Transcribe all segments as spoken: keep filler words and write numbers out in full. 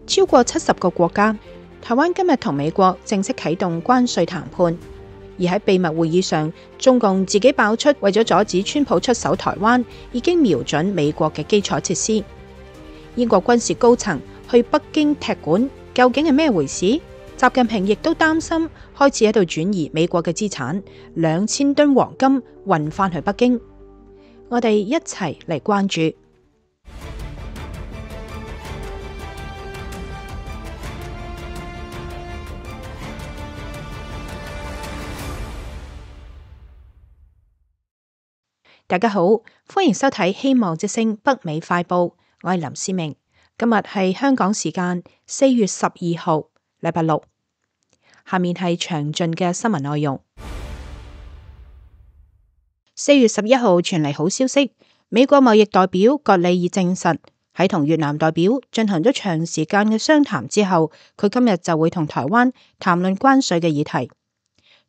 超過七十個國家。台灣今日同美國正式啟動關稅談判，而喺秘密會議上，中共自己爆出為咗阻止川普出手台灣，已經瞄準美國嘅基礎設施。英國軍事高層去北京踢館，究竟係咩回事？習近平亦都擔心，開始喺度轉移美國嘅資產，兩千噸黃金運返去北京。我哋一齊嚟關注。大家好，歡迎收睇《希望之聲》北美快報，我係林思明。今日係香港時間四月十二號，禮拜六。下面係詳盡嘅新聞內容。四月十一號傳嚟好消息，美國貿易代表葛利爾證實喺同越南代表進行咗長時間嘅商談之後，佢今日就會同台灣談論關稅嘅議題。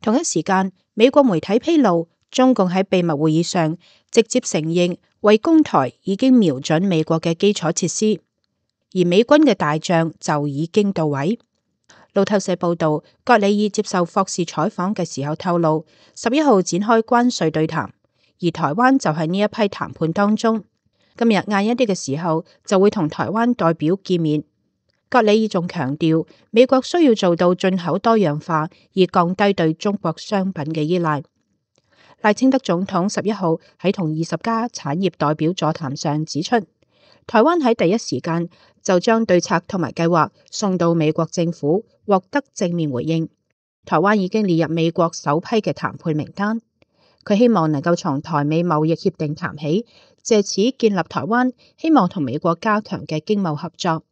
同一時間，美國媒體披露，中共喺秘密會議上直接承認，為攻台已經瞄準美國嘅基礎設施，而美軍嘅大將就已經到位。路透社報道，葛利爾接受霍士採訪嘅時候透露，十一號展開關稅對談，而台灣就喺呢一批談判當中。今日晏一啲嘅時候就會同台灣代表見面。葛利爾仲強調，美國需要做到進口多樣化，以降低對中國商品嘅依賴。賴清德總統十一號喺同二十家產業代表座談上指出，台灣喺第一時間就將對策同埋計劃送到美國政府，獲得正面回應。台灣已經列入美國首批嘅談判名單。佢希望能夠從台美貿易協定談起，借此建立台灣希望同美國加強嘅經貿合作。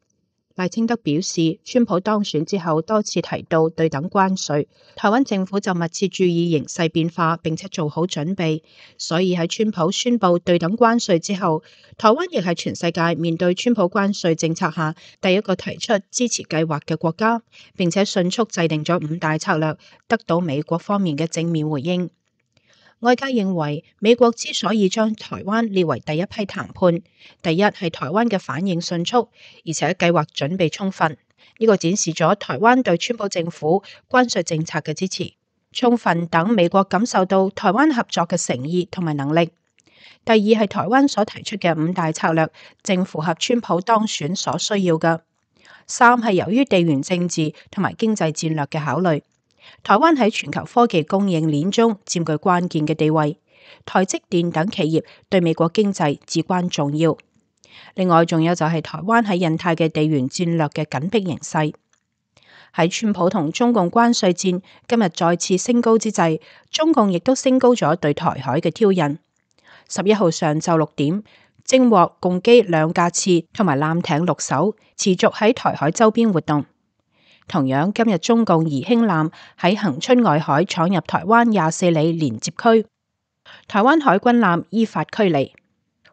賴清德表示，川普當選之後多次提到對等關稅，台灣政府就密切注意形勢變化，並且做好準備。所以喺川普宣布對等關稅之後，台灣亦係全世界面對川普關稅政策下第一個提出支持計劃嘅國家，並且迅速制定咗五大策略，得到美國方面嘅正面回應。外界認為，美國之所以將台灣列為第一批談判，第一係台灣嘅反應迅速，而且計劃準備充分，呢個展示咗台灣對川普政府關稅政策嘅支持，充分等美國感受到台灣合作嘅誠意同埋能力。第二係台灣所提出嘅五大策略，正符合川普當選所需要嘅。三係由於地緣政治同埋經濟戰略嘅考慮。台灣喺全球科技供應鏈中佔據關鍵嘅地位，台積電等企業對美國經濟至關重要。另外，仲有就係台灣喺印太嘅地緣戰略嘅緊迫形勢。喺川普同中共關稅戰今日再次升高之際，中共亦都升高咗對台海嘅挑釁。十一號上晝六點，偵獲共機兩架次同埋艦艇六艘，持續喺台海周邊活動。同樣，今日中共宜興艦喺恆春外海闖入台灣廿四里連接區，台灣海軍艦依法驅離。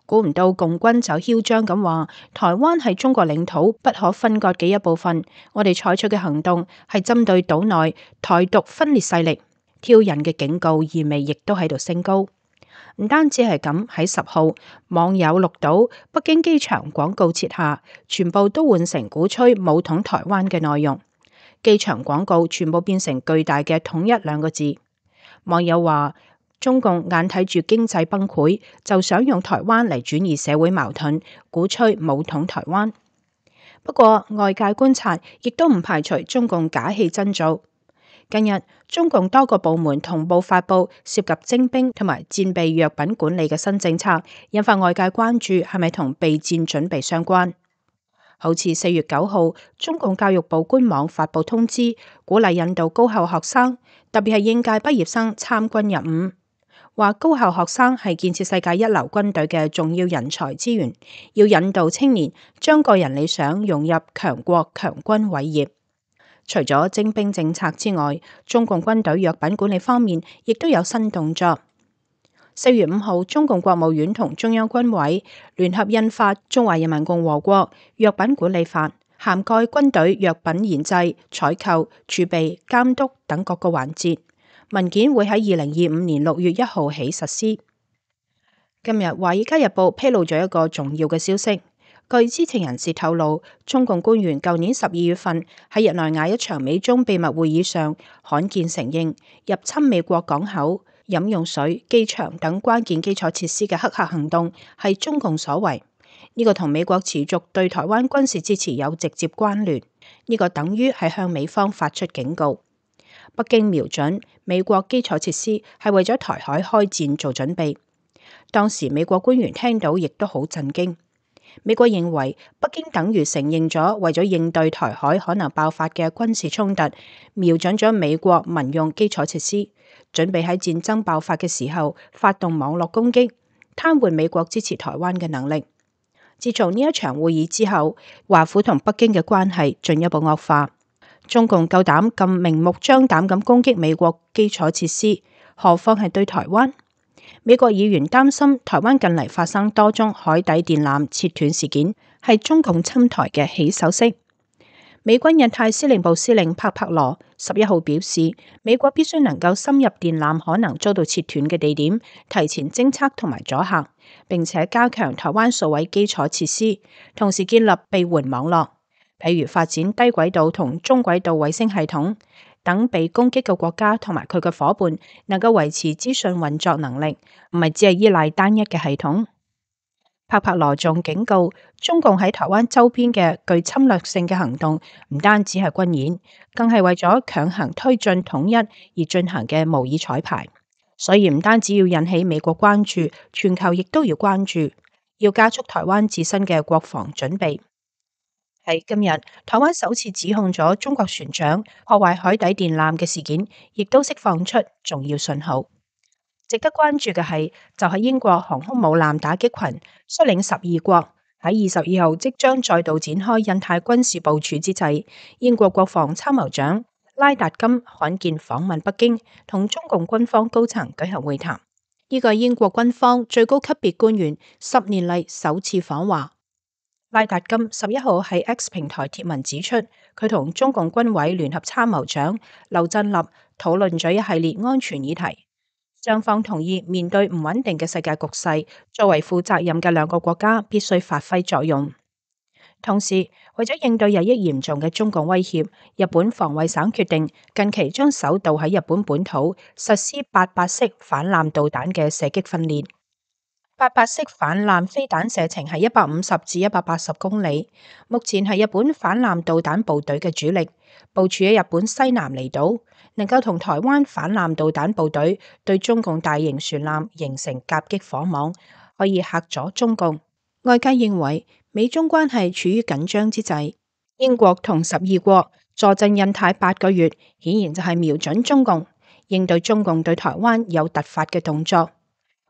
估唔到共軍就囂張咁話，台灣係中國領土不可分割嘅一部分，我哋採取嘅行動係針對島內台獨分裂勢力，挑釁嘅警告意味亦都喺度升高。唔單止係咁，喺十號網友錄到北京機場廣告設下，全部都換成鼓吹武統台灣嘅內容。機場廣告全部變成巨大嘅統一兩個字。網友話，中共眼睇住經濟崩潰，就想用台灣嚟轉移社會矛盾，鼓吹武統台灣。不過外界觀察亦都唔排除中共假戲真做。近日中共多個部門同步發布涉及徵兵同埋戰備藥品管理嘅新政策，引發外界關注係咪同備戰準備相關。好似四月九號，中共教育部官網發布通知，鼓勵引導高校學生，特別係應屆畢業生參軍入伍。話高校學生係建設世界一流軍隊嘅重要人才資源，要引導青年將個人理想融入強國強軍偉業。除咗徵兵政策之外，中共軍隊藥品管理方面亦都有新動作。四月五號，中共國務院同中央軍委聯合印發《中華人民共和國藥品管理法》，涵蓋軍隊藥品研製、採購、儲備、監督等各個環節。文件會喺二零二五年六月一號起實施。今日《華爾街日報》披露咗一個重要嘅消息，據知情人士透露，中共官員舊年十二月份喺日內瓦一場美中秘密會議上，罕見承認入侵美國港口、飲用水、機場等關鍵基礎設施嘅黑客行動係中共所為。呢個同美國持續對台灣軍事支持有直接關聯。呢個等於係向美方發出警告。北京瞄準美國基礎設施係為咗台海開戰做準備。當時美國官員聽到亦都好震驚。美國認為北京等於承認咗為咗應對台海可能爆發嘅軍事衝突，瞄準咗美國民用基礎設施，準備喺戰爭爆發嘅時候發動網絡攻擊，癱瘓美國支持台灣嘅能力。自從呢一場會議之後，華府同北京嘅關係進一步惡化。中共夠膽咁明目張膽咁攻擊美國基礎設施，何況係對台灣？美國議員擔心台灣近嚟發生多宗海底電纜切斷事件，係中共侵台嘅起手式。美軍印太司令部司令帕帕羅十一號表示，美國必須能夠深入電纜可能遭到切斷嘅地點，提前偵測同埋阻嚇，並且加強台灣數位基礎設施，同時建立備援網絡，譬如發展低軌道同中軌道衛星系統。等被攻擊嘅國家同埋佢嘅夥伴能夠維持資訊運作能力，唔係只係依賴單一嘅系統。帕帕羅仲警告，中共喺台灣周邊嘅具侵略性嘅行動，唔單止係軍演，更係為咗強行推進統一而進行嘅模擬彩排。所以唔單止要引起美國關注，全球亦都要關注，要加速台灣自身嘅國防準備。喺今日，台灣首次指控咗中國船長破壞海底電纜嘅事件，亦都釋放出重要信號。值得關注嘅係，就係英國航空母艦打擊群率領十二國喺二十二號即將再度展開印太軍事部署之際，英國國防參謀長拉達金罕見訪問北京，同中共軍方高層舉行會談。呢個係英國軍方最高級別官員十年嚟首次訪華。拉達金十一號喺 X 平台貼文指出，佢同中共軍委聯合參謀長劉振立討論咗一系列安全議題，雙方同意面對唔穩定嘅世界局勢，作為負責任嘅兩個國家必須發揮作用。同時，為咗應對日益嚴重嘅中共威脅，日本防衛省決定近期將首度喺日本本土實施八八式反艦導彈嘅射擊訓練。八八式反艦飛彈射程係一百五十至一百八十公里，目前係日本反艦導彈部隊嘅主力，部署喺日本西南離島，能夠同台灣反艦導彈部隊對中共大型船艦形成夾擊火網，可以嚇阻中共。外界認為美中關係處於緊張之際，英國同十二國坐鎮印太八個月，顯然就係瞄準中共，應對中共對台灣有突發嘅動作。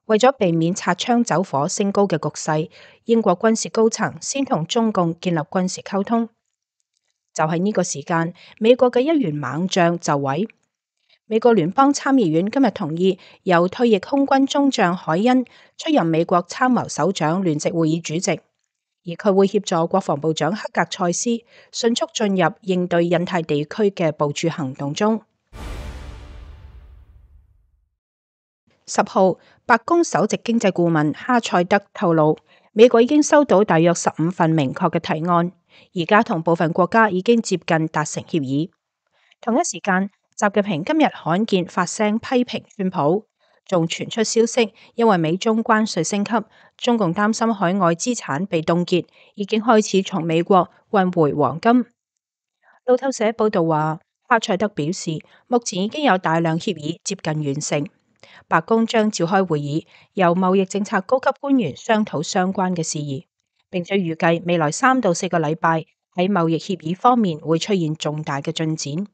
為咗避免擦槍走火升高嘅局勢，英國軍事高層先同中共建立軍事溝通。就係呢個時間，美國嘅一員猛將就位。美國聯邦參議院今日同意由退役空軍中將海恩出任美國參謀首長聯席會議主席，而佢會協助國防部長克格塞斯迅速進入應對印太地區嘅部署行動中。十號，白宮首席經濟顧問哈塞德透露，美國已經收到大約十五份明確嘅提案，而家同部分國家已經接近達成協議。同一時間，習近平今日罕見發聲批評川普，仲傳出消息，因為美中關稅升級，中共擔心海外資產被凍結，已經開始從美國運回黃金。路透社報道話，哈塞德表示，目前已經有大量協議接近完成。白宮將召開會議，由貿易政策高級官員商討相關嘅事宜，並且預計未來三到四個禮拜喺貿易協議方面會出現重大嘅進展。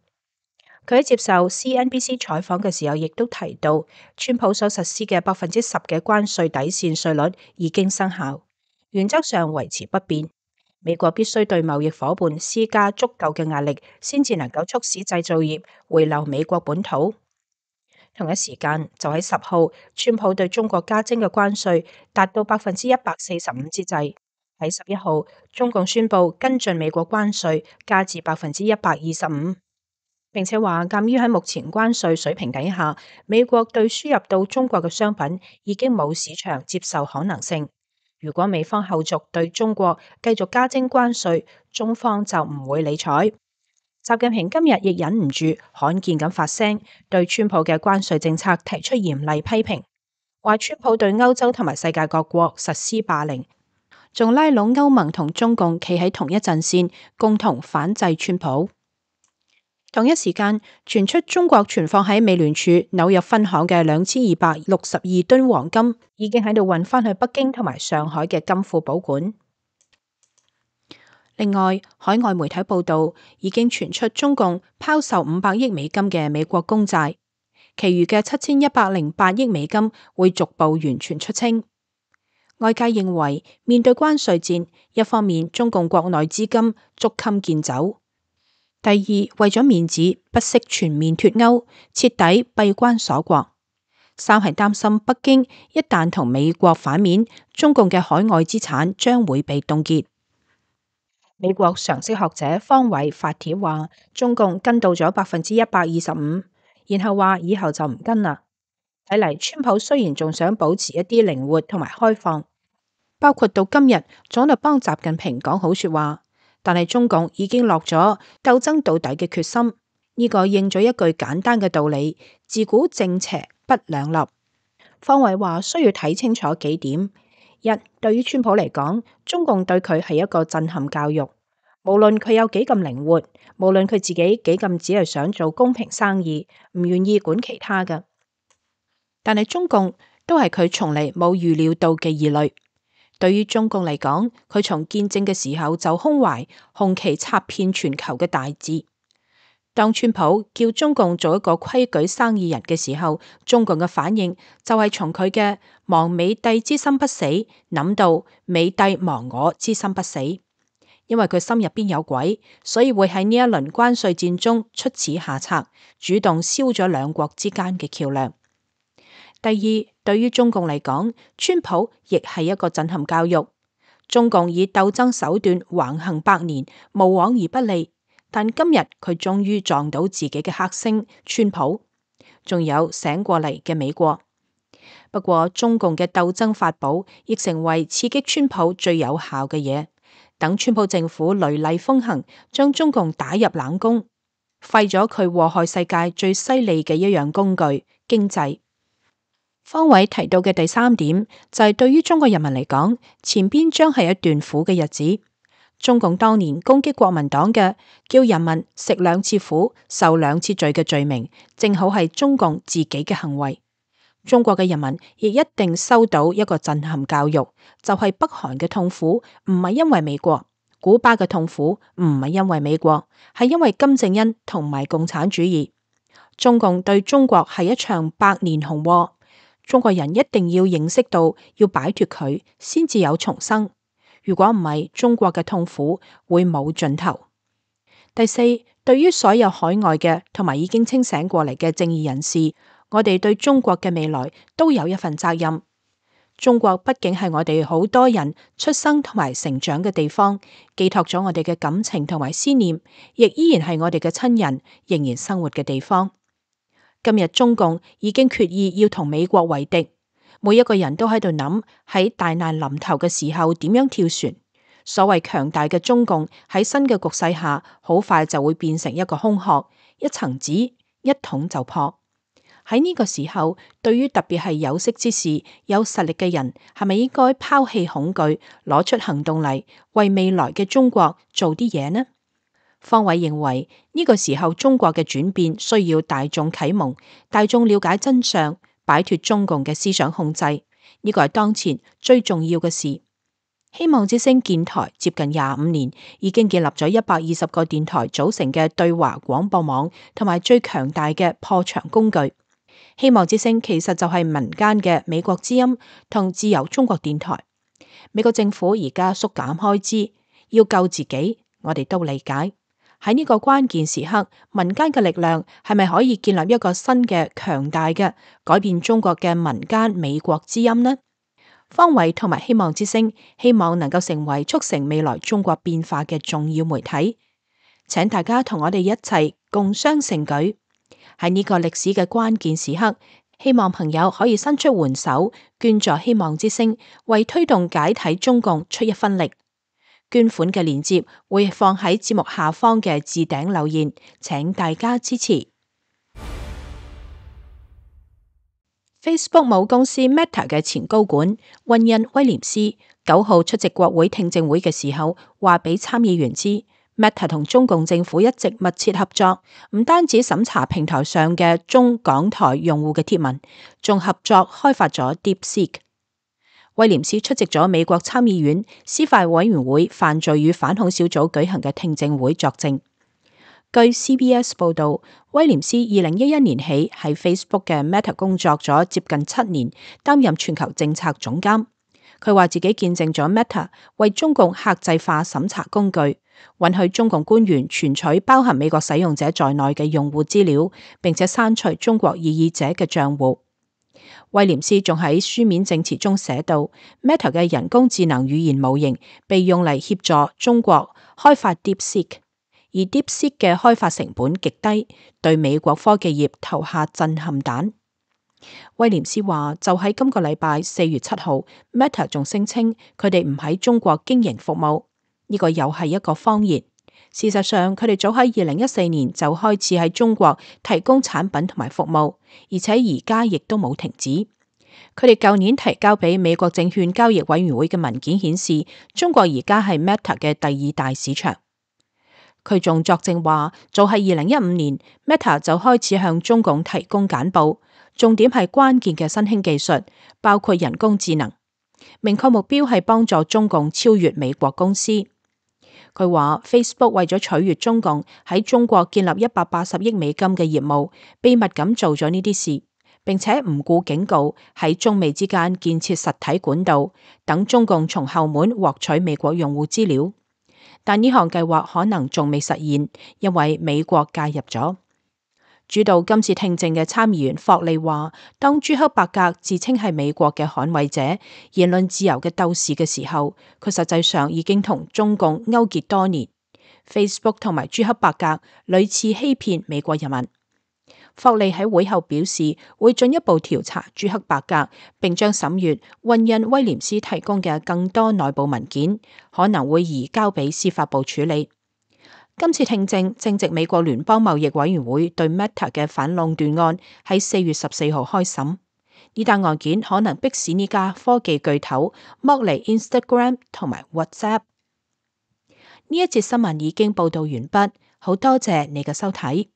佢喺接受 C N B C 採訪嘅時候，亦都提到，川普所實施嘅百分之十嘅關稅底線稅率已經生效，原則上維持不變。美國必須對貿易夥伴施加足夠嘅壓力，先至能夠促使製造業回流美國本土。同一時間，就喺十號，川普對中國加徵嘅關稅達到百分之一百四十五之際，喺十一號，中共宣布跟進美國關稅加至百分之一百二十五，並且話鑒於喺目前關稅水平底下，美國對輸入到中國嘅商品已經冇市場接受可能性，如果美方後續對中國繼續加徵關稅，中方就唔會理睬。習近平今日亦忍唔住罕見咁發聲，對川普嘅關稅政策提出嚴厲批評，話川普對歐洲同埋世界各國實施霸凌，仲拉攏歐盟同中共企喺同一陣線，共同反制川普。同一時間傳出中國存放喺美聯儲紐約分行嘅兩千二百六十二噸黃金已經喺度運返去北京同埋上海嘅金庫保管。另外，海外媒體報道已經傳出中共拋售五百億美金嘅美國公債，其餘嘅七千一百零八億美金會逐步完全出清。外界認為，面對關稅戰，一方面中共國內資金捉襟見肘，第二為咗面子不惜全面脫歐，徹底閉關鎖國，三係擔心北京一旦同美國反面，中共嘅海外資產將會被凍結。美國常識學者方偉發帖話，中共跟到咗百分之一百二十五，然後話以後就唔跟啦。睇嚟川普雖然仲想保持一啲靈活同埋開放，包括到今日總係幫習近平講好說話，但係中共已經落咗鬥爭到底嘅決心。呢、這個應咗一句簡單嘅道理：自古正邪不兩立。方偉話需要睇清楚幾點。一，對於川普嚟講，中共對佢係一個震撼教育。無論佢有幾咁靈活，無論佢自己幾咁只係想做公平生意，唔願意管其他嘅，但係中共都係佢從嚟冇預料到嘅異類。對於中共嚟講，佢從建政嘅時候就胸懷紅旗插遍全球嘅大志。當川普叫中共做一個規矩生意人嘅時候，中共嘅反應就係從佢嘅亡美帝之心不死諗到美帝亡我之心不死，因為佢心入邊有鬼，所以會喺呢一輪關稅戰中出此下策，主動燒咗兩國之間嘅橋樑。第二，對於中共嚟講，川普亦係一個震撼教育。中共以鬥爭手段橫行百年，無往而不利。但今日佢終於撞到自己嘅黑星川普，仲有醒過嚟嘅美國。不過中共嘅鬥爭法寶亦成為刺激川普最有效嘅嘢。等川普政府雷厲風行，將中共打入冷宮，廢咗佢禍害世界最犀利嘅一樣工具——經濟。方偉提到嘅第三點就係對於中國人民嚟講，前邊將係一段苦嘅日子。中共當年攻擊國民黨嘅，叫人民食兩次苦、受兩次罪嘅罪名，正好係中共自己嘅行為。中國嘅人民亦一定收到一個震撼教育，就係北韓嘅痛苦唔係因為美國，古巴嘅痛苦唔係因為美國，係因為金正恩同埋共產主義。中共對中國係一場百年洪禍，中國人一定要認識到要擺脫佢，先至有重生。如果唔係，中國嘅痛苦會冇盡頭。第四，對於所有海外嘅同埋已經清醒過嚟嘅正義人士，我哋對中國嘅未來都有一份責任。中國畢竟係我哋好多人出生同埋成長嘅地方，寄託咗我哋嘅感情同埋思念，亦依然係我哋嘅親人仍然生活嘅地方。今日中共已經決意要同美國為敵。每一個人都喺度諗喺大難臨頭嘅時候點樣跳船。所謂強大嘅中共喺新嘅局勢下，好快就會變成一個空殼，一層紙一捅就破。喺呢個時候，對於特別係有識之士、有實力嘅人，係咪應該拋棄恐懼，攞出行動嚟，為未來嘅中國做啲嘢呢？方偉認為呢個時候中國嘅轉變需要大眾啟蒙，大眾了解真相，擺脫中共嘅思想控制，呢個係當前最重要嘅事。希望之聲建台接近廿五年，已經建立咗一百二十個電台組成嘅對華廣播網，同埋最強大嘅破牆工具。希望之聲其實就係民間嘅美國之音同自由中國電台。美國政府而家縮減開支，要救自己，我哋都理解。喺呢個關鍵時刻，民間嘅力量係咪可以建立一個新嘅強大嘅改變中國嘅民間美國之音呢？方偉同埋希望之聲希望能夠成為促成未來中國變化嘅重要媒體，請大家同我哋一齊共襄盛舉。喺呢個歷史嘅關鍵時刻，希望朋友可以伸出援手，捐助希望之聲，為推動解體中共出一分力。捐款嘅鏈接會放喺節目下方嘅置頂留言，請大家支持。Facebook 母公司 Meta 嘅前高管溫恩威廉斯九號出席國會聽證會嘅時候，話俾參議員知 Meta 同中共政府一直密切合作，唔單止審查平台上嘅中港台用戶嘅貼文，仲合作開發咗 DeepSeek。威廉斯出席咗美國參議院司法委員會犯罪與反恐小組舉行嘅聽證會作證。據 C B S 報道，威廉斯二零一一年起喺 Facebook 嘅 Meta 工作咗接近七年，擔任全球政策總監。佢話自己見證咗 Meta 為中共客製化審查工具，允許中共官員存取包含美國使用者在內嘅用戶資料，並且刪除中國異議者嘅賬戶。威廉斯仲喺書面證詞中寫到 ，Meta 嘅人工智能語言模型被用嚟協助中國開發 DeepSeek。而 DeepSeek 嘅開發成本極低，對美國科技業投下震撼彈。威廉斯話：就喺今個禮拜四月七號 ，Meta 仲聲稱佢哋唔喺中國經營服務，呢、這個又係一個謊言。事實上，佢哋早喺二零一四年就開始喺中國提供產品同埋服務，而且而家亦都冇停止。佢哋舊年提交俾美國證券交易委員會嘅文件顯示，中國而家係 Meta 嘅第二大市場。佢仲作證話，早喺二零一五年 ，Meta 就開始向中共提供簡報，重點係關鍵嘅新興技術，包括人工智能。明確目標係幫助中共超越美國公司。佢話 Facebook 為咗取悅中共喺中國建立一百八十億美金嘅業務，秘密咁做咗呢啲事，並且唔顧警告喺中美之間建設實體管道，等中共從後門獲取美國用戶資料。但呢項計劃可能仲未實現，因為美國介入咗。主導今次聽證嘅參議員霍利話，當朱克伯格自稱係美國嘅捍衛者、言論自由嘅鬥士嘅時候，佢實際上已經同中共勾結多年。Facebook 同埋朱克伯格屢次欺騙美國人民。霍利喺會後表示，會進一步調查朱克伯格，並將審閱溫恩威廉斯提供嘅更多內部文件，可能會移交俾司法部處理。今次聽證正值美國聯邦貿易委員會對 Meta 嘅反壟斷案喺四月十四號開審，呢單案件可能迫使呢家科技巨頭剝離 Instagram 同埋 WhatsApp。呢一節新聞已經報道完畢，好多謝你嘅收睇。